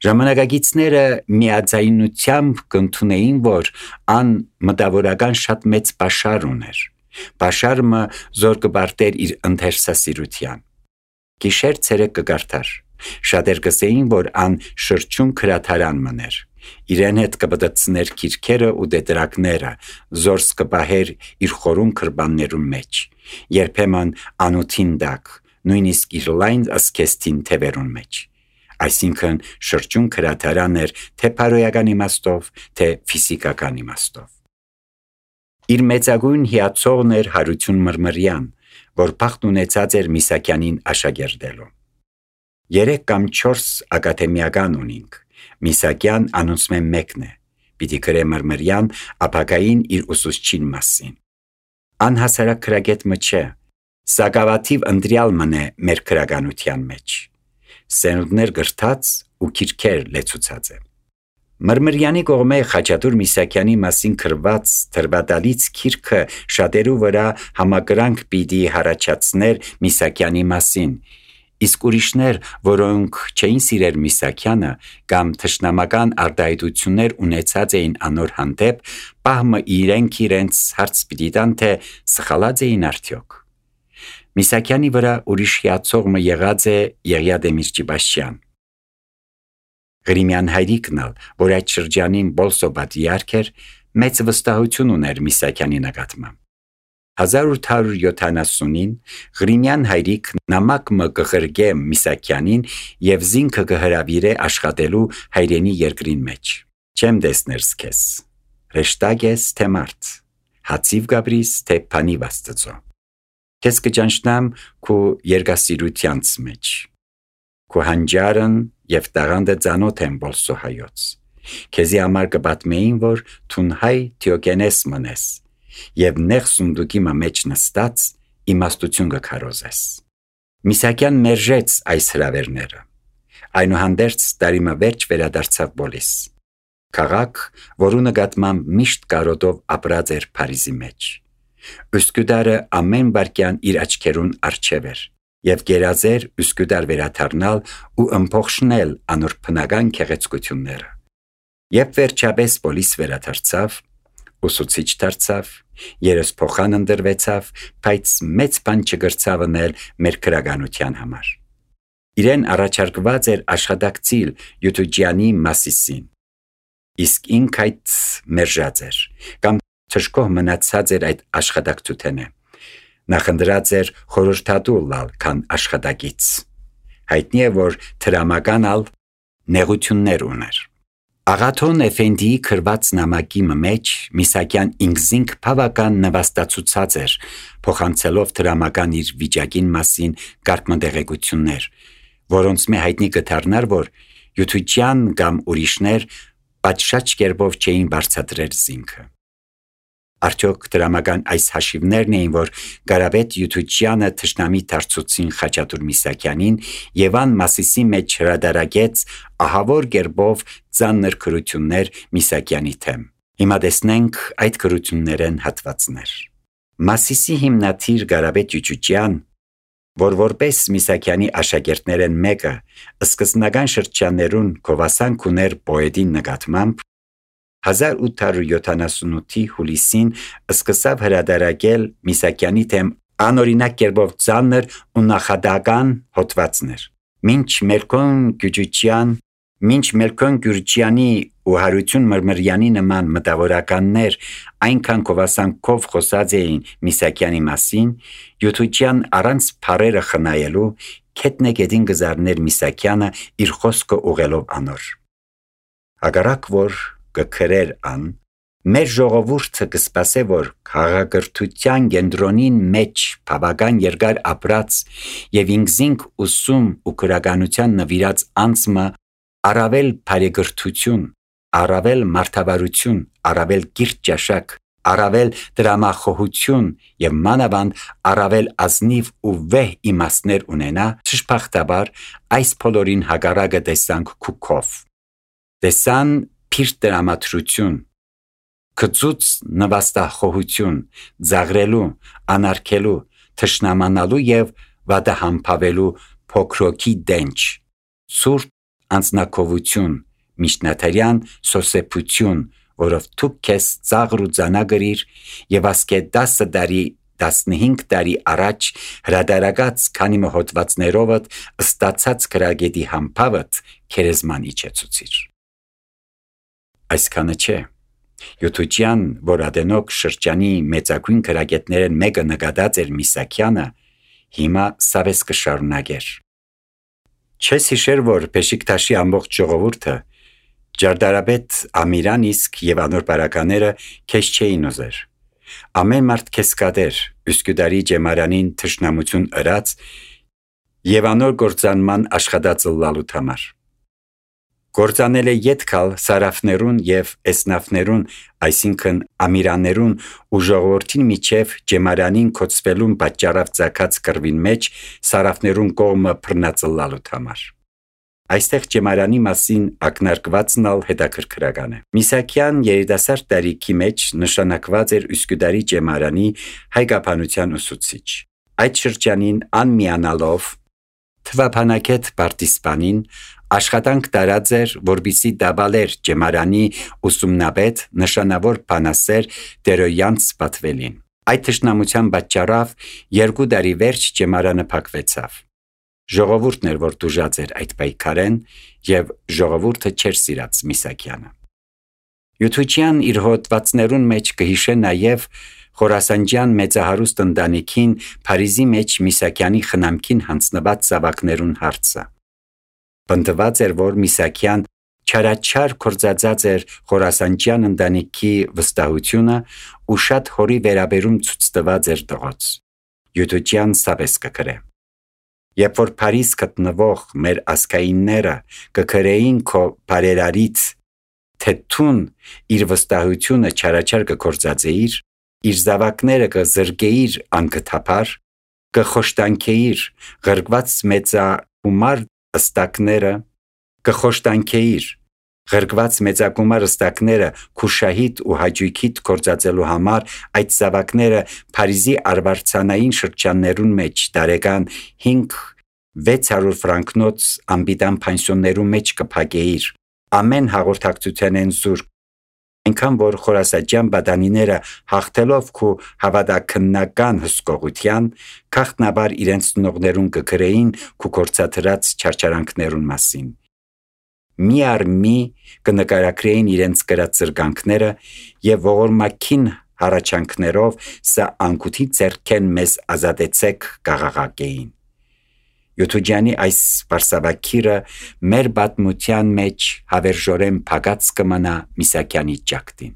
Ժամանակագիցները միաձայնությամբ կընդունեին, որ ան մտավորական շատ մեծ պաշար ուներ։ Պաշարը զոր կբարտեր իր ընթերցասիրության։ Գիշեր ցերեկ կգարթար։ Շատեր կսեին, որ ան շրջուն քրաթարան մներ։ Իրեն հետ կբդցներ քիրքերը ու դետրակները, զորս կբահեր իր խորուն քրբաններուն մեջ։ Երբեմն անոթին դակ, նույնիսկ իր լայն ասկեստին թևերուն մեջ։ Այսինքն շրջուն քրաթարան էր թե փարոյական իմաստով, թե ֆիզիկական իմաստով։ Իր մեծագույն հիացողն էր Հարություն Մրմրյան, որ փախտ ունեցած էր Միսակյանին աշակերտելու։ 3 կամ 4 ակադեմիական ունինք։ Միսակյան անոնցմեն մեկն է։ Պիտի գրե Մրմրյան ապագային իր ուսուցչին մասին։ Անհասարակ քրագետ մը չէ, սակավաթիվ ընտրյալ մնե մեր քրագանության մեջ։ Սենունդներ գրթած ու քիրքեր լեցուցած է։ Մրմրյանի կողմէ Խաչատուր Միսակյանի մասին գրված թրվատալից քիրքը շատերու վրա համակրանք պիտի հարաճացներ Միսակյանի մասին, իսկ ուրիշներ, որոնք չէին սիրեր Միսակյանը կամ թշնամական արտահայտություններ ունեցած էին անոր հանդեպ, պահմը իրենց հարց պիտի տան, թե սխալած էին արդյոք։ Միսակյանի վրա ուրիշ հիացողը եղած է Եղիա Դեմիրճիբաշյան։ Գրիմյան հայրիկնալ, որ այդ շրջանին Բոլսո պատիարք էր, մեծ վստահություն ուներ Միսակյանի նկատմամբ։ 1870-ին Գրիմյան հայրիկ նամակ մը կղրգե Միսակյանին եւ զինքը կհրավիրե աշխատելու հայրենի երկրին մեջ։ Չեմ տեսներ սկես, ռեշտակ ես թե մարդ, հացիվ գաբրիս թե փանի վաստծո։ Քեզ կճանչնամ քու երգասիրությանց մեջ։ Քու հանջարն եւ տաղանդը ծանոթ են Բոլսո հայոց։ Քեզի համար կպատմեին, որ թուն հայ Թիոկենես մնես եւ նեղ սունդուկի մեջ նստած իմաստություն կքարոզես։ Միսակյան մերժեց այս հրավերները։ Այնուհանդերձ տարիմը վերջ վերադարձավ Բոլիս։ Քաղաք, որու նկատմամբ միշտ կարոտով ապրած էր Փարիզի մեջ։ Ուսկուդարը ամեն վարքյան իր աչքերուն առջև էր եւ գերազեր Ուսկուդար վերաթարնալ ու ըմփոխշնել անոր բնական քեղեցկությունները։ Երբ վերջապես Բոլիս վերադարձավ, ուսուցիչ դարձավ, երեսփոխան ընտրվեցավ, բայց մեծ բան չգրցավ անել մեր քրագանության համար։ Իրեն առաջարկված էր աշխատակցիլ Յուտուջյանի Մասիսին, իսկ ինք այդ մերժած էր, կամ թշկող մնացած էր այդ աշխատակցութենը։ Նախընտրած էր խորհրդատու լալ, քան աշխատակից։ Հայտնի է, որ թրամականալ նեղություններ ուներ։ Աղաթոն Էֆենդիի քրված նամակի մեջ Միսակյան ինքզինք բավական նվաստացուցած էր, փոխանցելով թրամական իր վիճակին մասին կարգմտեղեկություններ, որոնց մե հայտնի կդառնար, որ Յուտուջյան կամ ուրիշներ պատշաճ կերպով չէին բարձրացրել զինքը։ Արդյոք դրամական այս հաշիվներն էին, որ Կարապետ Յուտուջյանը թշնամի դարձուցին Խաչատուր Միսակյանին եւ ան Մասիսի մեջ հրադարագեց ահավոր կերպով ծանր քրություններ Միսակյանի թեմ։ Հիմա տեսնենք այդ քրություններն հատվածներ։ Մասիսի հիմնադիր Կարապետ Յուտուջյան, որ որպես Միսակյանի աշակերտներն մեկը, սկզբնական շրջաններուն գովասանք ուներ պոետին նկատմամբ, 1878-ի հուլիսին սկսավ հրադարակել Միսակյանի թեմ անօրինակ կերպով ծանր ու նախադական հոդվածներ։ Մինչ Մելքոն Գյուրջյանի ու Հարություն Մրմրյանի նման մտավորականներ այնքան գովասանքով խոսած էին Միսակյանի մասին, Յուտուջյան առանց փարերը խնայելու քետնեգետին գզարներ Միսակյանը իր խոսքը ուղելով անոր։ Հակառակ որ կքրեր ան, մեր ժողովուրդը կսպասե, որ քաղաքրթության կենտրոնին մեջ բավական երկար ապրած եւ ինքզինք ուսում ու քրագանության նվիրած անձը առավել բարեգրթություն, առավել մարդավարություն, առավել կիրթ ճաշակ, առավել դրամախոհություն եւ մանավանդ առավել ազնիվ ու վեհ իմաստներ ունենա, ճշփախտաբար այս բոլորին հակառակը տեսանք քուքով։ Տեսան փիրտ դրամատրություն, կծուց նվաստախոհություն, ձաղրելու, անարգելու, թշնամանալու եւ վատահամբավելու փոքրոքի դենչ, ցուրտ անձնակովություն, միջնաթերյան սոսեփություն, որով դու քեզ ծաղր ու ծանագրիր եւ ասկե 10 տարի 15 տարի առաջ հրադարագած քանի հոդվածներովդ ստացած քրագետի համբավդ քերեզման իջեցուցիր։ Այսքանը չէ։ Յութուջյան, որ Ադենոք շրջանի մեծագույն քրագետներեն մեկը նկատած էր Միսակյանը, հիմա սավես կշարունակեր։ Չես հիշեր, որ Բեշիկտաշի ամբողջ ժողովուրդը Ջարդարաբեդ Ամիրան իսկ եւ անոր բարակաները քեզ չէին ուզեր։ Ամեն մարդ քեզ կադեր, Üsküdarի ջեմարանին թշնամություն ըրած եւ անոր գործանման աշխատածլալու համար։ Գործանել է յետքալ սարաֆներուն եւ էսնաֆներուն, այսինքն ամիրաներուն ու ժողովրդին միջև ջեմարանին կոծվելուն պատճառով ցակած կրվին մեջ սարաֆներուն կողմը բռնածլալու համար։ Այստեղ ջեմարանի մասին ակնարկվածն ալ հետաքրքրական է։ Միսակյան երիտասարդ տարիքի մեջ նշանակված էր Üsküdarի ջեմարանի հայկապանության ուսուցիչ։ Այդ շրջանին անմիանալով թվապանակետ պարտիսպանին աշխատանք տարած էր, որբիսի դաբալեր ջեմարանի ուսումնաբեդ նշանավոր բանասեր Տերոյանց պատվելին։ Այդ թշնամության պատճառով 2 տարի վերջ ջեմարանը փակվեցավ։ Ժողովուրդն էր, որ դուժած էր այդ պայքարեն եւ ժողովուրդը չեր սիրած Միսակյանը։ Յութուջյան իր հոդվածներուն մեջ կհիշե նաեւ Խորասանջյան մեծահարուստ ընտանիքին Փարիզի մեջ Միսակյանի խնամքին հանձնված զավակներուն հարցը։ Պնդված էր, որ Միսակյան չարաչար կործածած էր Խորասանջյան ընտանիքի վստահությունը ու շատ հորի վերաբերում ցույց տված էր տղոց։ Յութուջյան սավես կգրե։ Երբ որ Փարիզ գտնվող մեր ասկայինները կգրեին քո բարերարից, թե թուն իր վստահությունը չարաչար կկործածեիր, իր զավակները կզրգեիր անգթափար, կխոշտանքեիր ղրկված մեծագումար ըստակները, կխոշտանքեիր ղրկված մեծագումար ըստակները քուշահիտ ու հաջույքիտ կործածելու համար այդ զավակները Փարիզի արվարձանային շրջաններուն մեջ տարեկան 5-600 ֆրանկնոց ամբիդան պանսիոններու մեջ կփակեիր ամեն հաղորդակցութենեն զուրկ, այնքան որ խորասաջյան բադանիները հաղթելով քու հավատաքննական հսկողության քաղտնաբար իրենց ծնողներուն կգրեին քու կործաթրած չարչարանքներուն մասին։ Մի առ մի կնկարագրեին իրենց կրած զրկանքները եւ ողորմակին հառաչանքներով սա անկութի ձեռքեն մեզ ազատեցեք գաղաղակեին։ Յութուջյանի այս սպարսավակիրը մեր պատմության մեջ հավերժորեն փակած կմնա Միսակյանի ճակտին։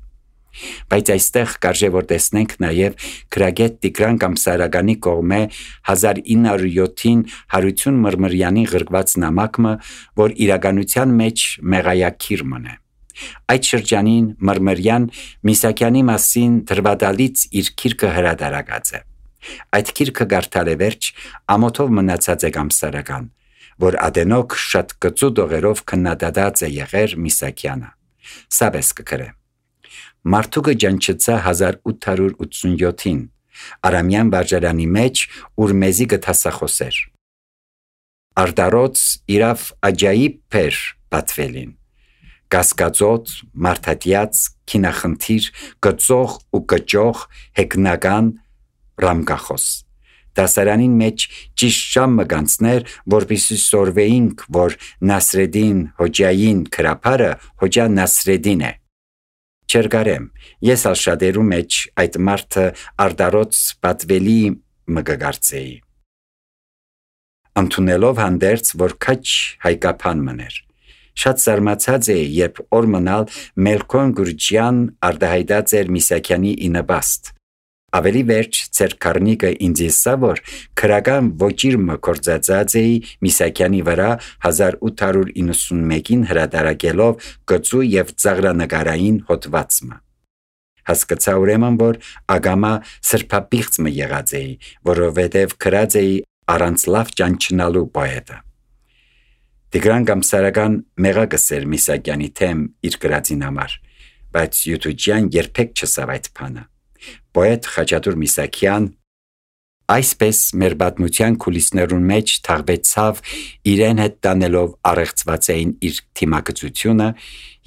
Բայց այստեղ կարժե որ տեսնենք նաև քրագետ Տիգրան Կամսարականի կողմէ 1907-ին Հարություն Մրմրյանի ղրկված նամակը, որ իրականության մեջ մեղայակիր մնե։ Այդ շրջանին Մրմրյան Միսակյանի մասին դրվադալից իր քիրքը հրադարակած է։ Այդ քիրքը գարտալ է վերջ ամոթով մնացած է Կամսարական, որ Ադենոք շատ կծու դողերով քննադատած է եղեր Միսակյանը։ Սավես կգրե։ Մարդուկը ջանչծա 1887-ին Արամյան վարժարանի մեջ, ուր մեզի գտասախոսեր։ Արդարոց իրավ աջայիբ պեր պատվելին, կասկածոտ, մարդատյաց, քինախնդիր, կծող ու կճող, հեգնական, ռամկախոս։ Դասարանին մեջ ճիշտ ժամը գանցներ, որպեսզի սորվեինք, որ Նասրեդին հոջային քրապարը հոջա Նասրեդին է։ Չերգարեմ, ես աշադերու մեջ այդ մարդը արդարոց պատվելի մգգարցեի։ Անտունելով հանդերց, որ քաչ հայկապան մներ։ Շատ զարմացած էի, երբ օր մնալ Մելքոն Գուրջյան արդահայտած էր Միսակյանի ինըբաստ։ Ավելի վերջ ծեր կարնիկը ինձ եսա, որ քրական ոճիրմը կործածած էի Միսակյանի վրա 1891-ին հրադարակելով գծու և ծաղրանկարային հոդվածը։ Հասկացա ուրեմն, որ ագամա սրբապիղծը եղած էի, որովհետև քրած էի առանց լավ ճանչնալու պոետը։ Տիգրան Կամսարական մեղակս էր Միսակյանի թեմ իր գրածին համար, բայց Յութուջյան երբեք չսավ այդ բանը։ Պոետ Խաչատուր Միսակյան Այսպես մեր պատմության քուլիսներուն մեջ թաղվեցավ իրեն հետ տանելով առեղծվածային իր թիմակցությունը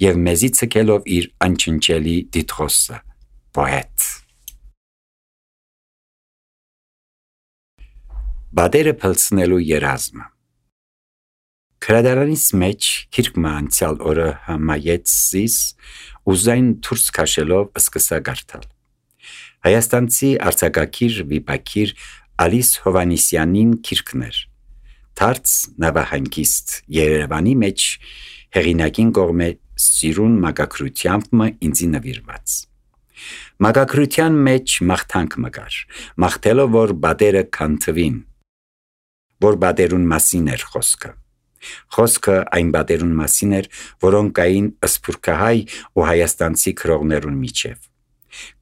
եւ մեզի ցկելով իր անչնչելի դիտխոսը պոետ։ Բادرը փլցնելու երազմը։ Քրադարանից մեջ քիրկը անցյալ օրը համայեցիս ուզային դուրս քաշելով սկսա գարտալ։ Հայաստանցի արձակագիր վիպակիր Ալիս Հովանիսյանին քիրկներ։ Թարց նավահանգիստ Երևանի մեջ հեղինակին կողմէ սիրուն մագակրությամբ ինձի նվիրված։ Մագակրության մեջ մաղթանք մգար, մաղթելով որ բادرը քանթվին, որ բادرուն մասին էր խոսքը։ Խոսքը այն բادرուն մասին էր, որոնք կային սփյուռքահայ ու հայաստանցի քրողներուն միջև։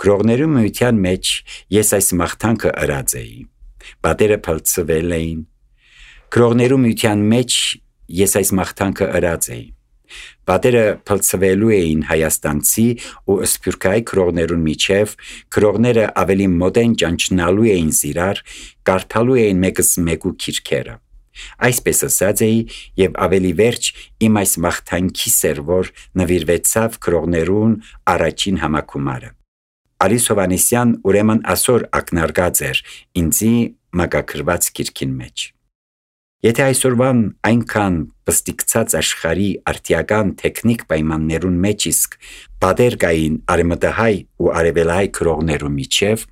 Քրողներու միության մեջ ես այս մաղթանքը ըրած էի։ Բادرը փլցվել էին։ Քրողներու միության մեջ ես այս մաղթանքը ըրած էի։ Բادرը փլցվելու էին հայաստանցի ու սփյուռքահայ քրողներուն միջև, քրողները ավելի մոդեն ճանչնալու էին զիրար, կարդալու էին մեկս մեկու քիրքերը։ Այսպես ասած էի եւ ավելի վերջ իմ այս մաղթանքի սերվոր նվիրվեցավ քրողներուն առաջին համակումարը։ Ալիս Հովանիսյան ուրեմն ասոր ակնարկած էր ինձի մագակրված քիրքին մեջ։ Եթե այսօրվան այնքան պստիկցած աշխարհի արտիական տեխնիկ պայմաններուն մեջ իսկ բادر կային արևմտահայ ու արևելահայ քրողներու միջև,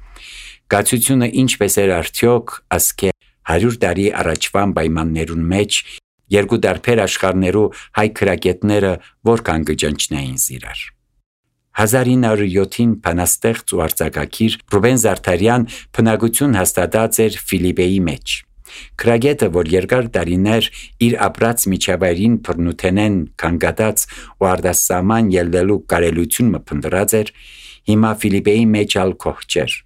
գացությունը ինչպես էր արդյոք ասկե 100 տարի առաջվան պայմաններուն մեջ երկու դարբեր աշխարհներու հայ քրագետները որքան կճանչնային զիրար։ 1907-ին բանաստեղծ ու արձակագիր Ռուբեն Զարդարյան բնակություն հաստատած էր Ֆիլիպեի մեջ։ Քրագետը, որ երկար տարիներ իր ապրած միջավայրին բռնութենեն կանգատած ու արտասահման ելնելու կարելություն մփնտրած էր, հիմա Ֆիլիպեի մեջ ալ կողջեր,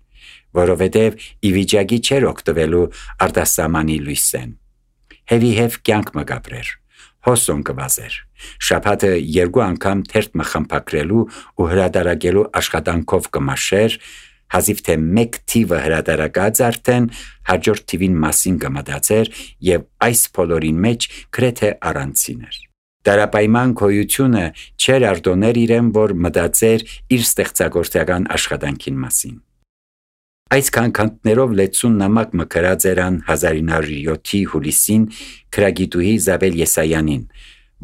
որովհետև ի վիճակի չէր օգտվելու արտասահմանի լույսեն։ Հեվի կյանք մգաբրեր, հոսոն կվազեր, շաբաթը 2 անգամ թերթ մխամփակրելու ու հրադարակելու աշխատանքով կմաշեր, հազիվ թե մեկ թիվը հրադարակած արդեն հաջորդ թիվին մասին կմտածեր եւ այս բոլորին մեջ գրեթե առանցին էր։ Դարապայման գոյությունը չէր արտոներ իրեն, որ մտածեր իր ստեղծագործական աշխատանքին մասին։ Այս քանքանտներով լեցուն նամակ մկրած երան 1907-ի հուլիսին քրագիտուհի Զաբել Եսայանին,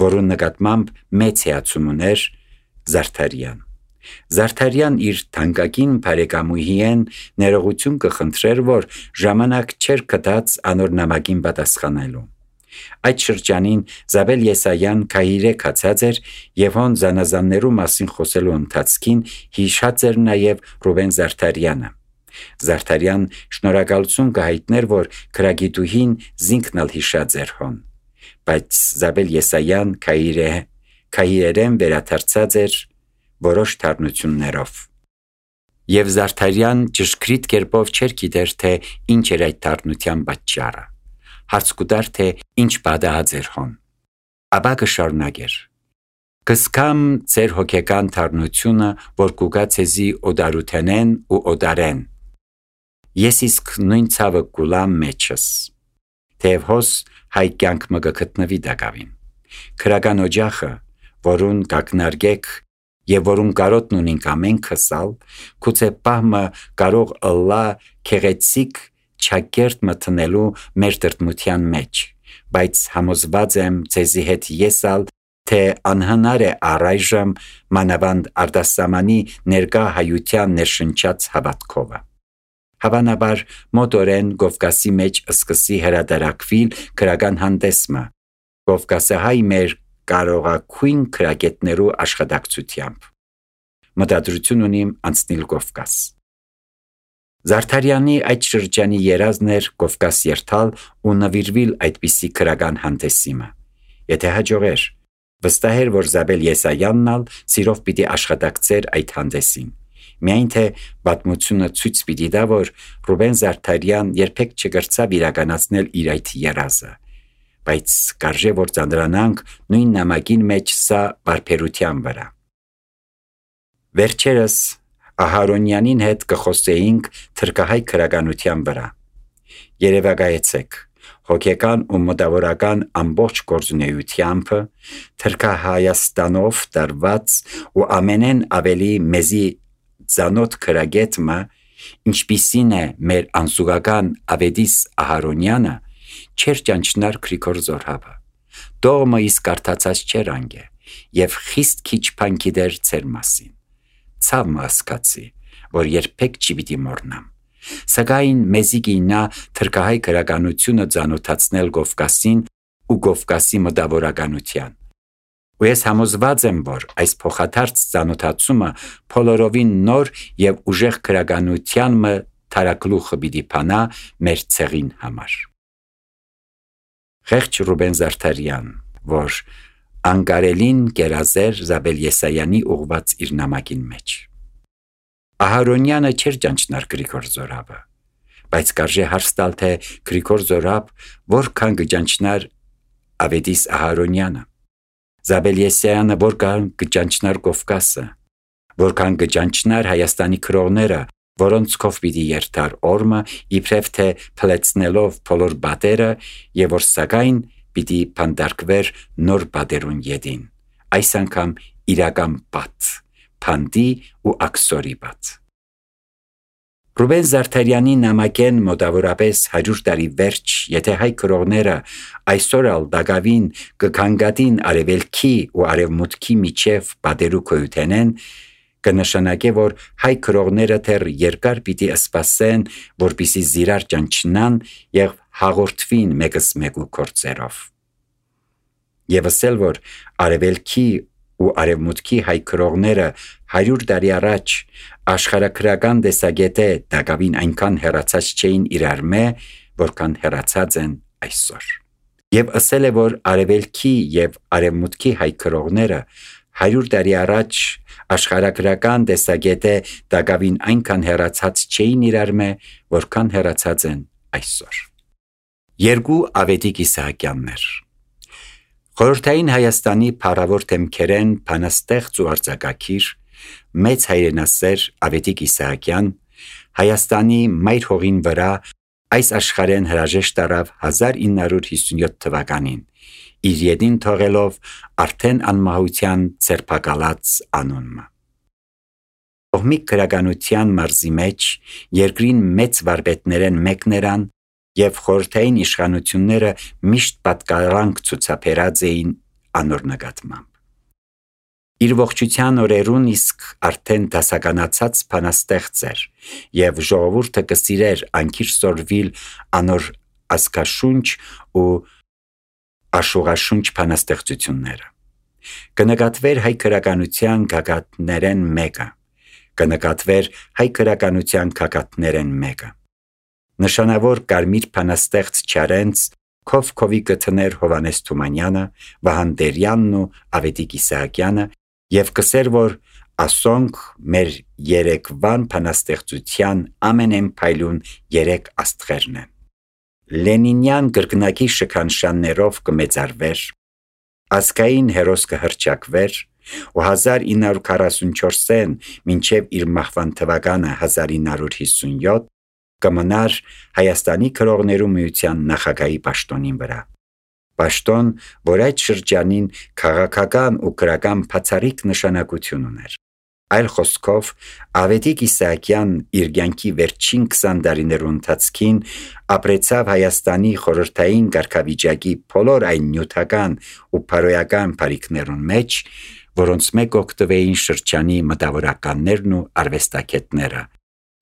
որուն նկատմամբ մեծ հիացում ուներ Զարդարյան։ Զարդարյան իր թանկագին բարեկամուհիեն ներողություն կխնդրեր, որ ժամանակ չէր գտած անոր նամակին պատասխանելու։ Այդ շրջանին Զաբել Եսայան քահիրե կացած էր եւ հոն զանազաններու մասին խոսելու ընթացքին հիշած էր նաեւ Ռուբեն Զարդարյանը։ Զարդարյան շնորհակալություն կհայտներ, որ քրագիտուհին զինքնալ հիշած էր հոն, բայց Զաբել Եսայան քահիրերեն վերադարձած էր որոշ թարնություններով։ Եվ Զարդարյան ճշգրիտ կերպով չէր գիտեր, թե ինչ էր այդ թարնության պատճառը։ Հարց կուտար, թե ինչ պատահած էր հոն։ Ապա կշարունակեր. «Կսկամ ձեր հոգեկան թարնությունը, որ կուգա ցեզի օդարութենեն ու օդարեն։ Ես իսկ նույն ցավը կուլամ մեջս։ Թեև հոս հայ կյանք մը գտնվի դակավին։ Քրական օջախը, որուն կակնարկեք եւ որուն կարոտն ունինք ամենքս ալ, գուցե պահմը կարող ըլլա քեղեցիկ չակերտ մտնելու մեր տրտմության մեջ, բայց համոզված եմ ձեզի հետ ես ալ, թե անհնար է առայժմ մանավանդ արտասահմանի ներկա հայության ներշնչած հավատքովը։ Հավանաբար մոտորեն Կովկասի մեջ սկսի հրադարակվիլ քրական հանդեսմը, Կովկասահայ մեր կարողակույն քրագետներու աշխատակցությամբ։ Մտադրություն ունիմ անցնել Կովկաս։ Զարդարյանի այդ շրջանի երազն էր Կովկաս երթալ ու նվիրվել այդպիսի քրական հանդեսիմը։ Եթե հաջողեր, վստահ էր, որ Զաբել Եսայանն ալ սիրով պիտի աշխատակցեր այդ հանդեսին։ Միայն թե պատմությունը ցույց պիտի տա, որ Ռուբեն Զարդարյան երբեք չգրծավ իրականացնել իր այդ երազը, բայց կարժե որ ծանրանանք նույն նամակին մեջ սա բարբերության վրա։ Վերջերս Ահարոնյանին հետ կխոսեինք թրկահայ քրականության վրա։ Երևակայեցեք, հոգեկան ու մտավորական ամբողջ գործունեությամբ Թրքահայաստանով տարված ու ամենեն ավելի մեզի ծանոթ քրագետը, ինչպիսին է մեր անզուգական Ավետիս Ահարոնյանը, չեր ճանչնար Գրիգոր Զորհաբը, դողմը իսկ կարդացած չեր անգե, և խիստ քիչ բան գիտեր ձեր մասին, ցավ մը ասկացի, որ երբեք չի պիտի մոռնամ, սակայն մեզի գինա թրքահայ գրականությունը ծանոթացնել Կովկասին ու Կովկասի մտավորականության, ու ես համոզված եմ, որ այս փոխադարձ ծանոթացումը բոլորովին նոր և ուժեղ գրականության մը թարակլուխը պիտի փանա մեր ցեղին համար։ Ղեղջ Ռուբեն Զարդարյան, որ անկարելին գերազեր Զաբել Եսայանի ուղված իր նամակին մեջ։ Ահարոնյանը չէր ճանչնար Գրիգոր Զորհաբը, բայց կարժե հարց տալ, թե Գրիգոր Զորհաբ որքան կճանչնար Ավետիս Ահարոնյանը, Զաբել Եսայանը որքան կճանչնար Կովկասը, որքան կճանչնար Հայաստանի քրոները, որոնց կով պիտի երթար օրմը, իբրև թե փլեցնելով բոլոր բատերը, և որ սակայն պիտի փանդարկվեր նոր բատերուն ետին, այս անգամ իրական բատ, փանդի ու աքսորի բատ։ Ռուբեն Զարդարյանի նամակեն մոտավորապես 100 տարի վերջ, եթե հայ քրոները այսօր ալ դակավին կքանգատին արևելքի ու արևմուտքի միջև բادرու քոյութենեն, կնշանակե, որ հայ քրոները թեր երկար պիտի սպասեն, որպիսի զիրար ճանչնան և հաղորդվին մեկս մեկու կործերով։ Եվս էլ, որ արևելքի ու արևմուտքի հայ քրոները 100 տարի առաջ աշխարհագրական տեսակետե դակավին այնքան հեռացած չէին իրար մե, որքան հեռացած են այսօր։ Եվ ասել է, որ արևելքի և արևմուտքի հայ քրոները 100 տարի առաջ աշխարհագրական տեսակետե դակավին այնքան հեռացած չէին իրար մե, որքան հեռացած են այսօր։ Երկու Ավետիք Իսահակյաններ։ Խորհրդային Հայաստանի փառավոր թեմքերեն բանաստեղծ ու արձակագիր, մեծ հայրենասեր Ավետիք Իսահակյան Հայաստանի մայր հողին վրա այս աշխարհեն հրաժեշտ տարավ 1957 թվականին, իր ետին թողելով արդեն անմահության ձերբակալած անունը։ Կողմիկ գրականության մարզի մեջ երկրին մեծ վարպետներեն մեկն երան և խորհրդային իշխանությունները միշտ պատկառանք ցուցաբերած էին անոր նկատմամբ։ Իր ողջության օրերուն իսկ արդեն դասականացած բանաստեղծ էր և ժողովուրդը կսիրեր անկիր սորվիլ անոր ազգաշունչ ու աշուղաշունչ բանաստեղծությունները։ Կնկատվեր հայ գրականության գագաթներեն մեկը, կնկատվեր հայ գրականության գագաթներեն մեկը։ Նշանավոր կարմիր բանաստեղծ Չարենց քովի գտներ Հովանես Թումանյանը, Վահան Տերյանն ու Ավետիք Իսահակյանը և կսեր, որ ասոնք մեր երեկվան բանաստեղծության ամենեն փայլուն 3 աստղերն են։ Լենինյան գրկնակի շքանշաններով կմեծարվեր, ազգային հերոս կհռչակվեր ու 1944-ին մինչև իր մահվան թվականը 1957 կմնար Հայաստանի քրոներու միության նախագահի պաշտոնին վրա։ Պաշտոն, որ այդ շրջանին քաղաքական ու գրական բացառիկ նշանակություն ուներ։ Այլ խոսքով, Ավետիք Իսահակյան իր կյանքի վերջին 20 տարիներու ընթացքին ապրեցավ Հայաստանի խորհրդային կարգավիճակի բոլոր այն նյութական ու բարոյական բարիքներուն մեջ, որոնց մեկ օգտվեին շրջանի մտավորականներն ու արվեստագետները,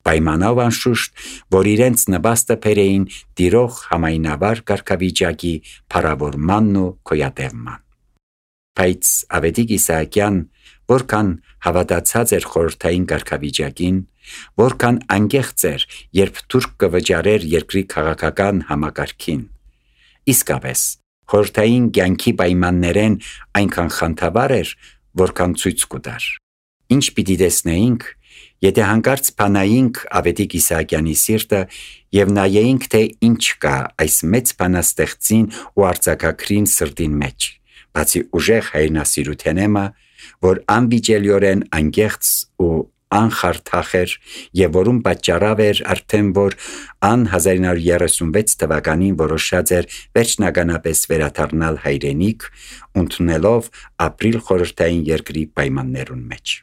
պայմանով անշուշտ, որ իրենց նպաստը բերեին տիրող համայնավար կարգավիճակի փառավորմանն ու գոյատևման։ Բայց Ավետիք Իսահակյան որքան հավատացած էր խորհրդային կարգավիճակին, որքան անկեղծ էր, երբ թուրք կվճարեր երկրի քաղաքական համակարգին։ Իսկապես, խորհրդային կյանքի պայմաններեն այնքան խանդավառ էր, որքան ցույց կտար։ Ինչ պիտի տեսնեինք, եթե հանկարծ բանայինք Ավետիք Իսահակյանի սիրտը և նայեինք, թե ինչ կա այս մեծ բանաստեղծին ու արձակագրին սրտին մեջ, բացի ուժեղ հայրենասիրութենեմը, որ անվիճելիորեն անկեղծ ու անխարթախ էր եւ որում պատճառավ էր արդեն որ ան 1936 թվականին որոշած էր վերջնականապես վերադառնալ հայրենիք, ընդունելով ապրիլ խորհրդային երկրի պայմաններուն մեջ։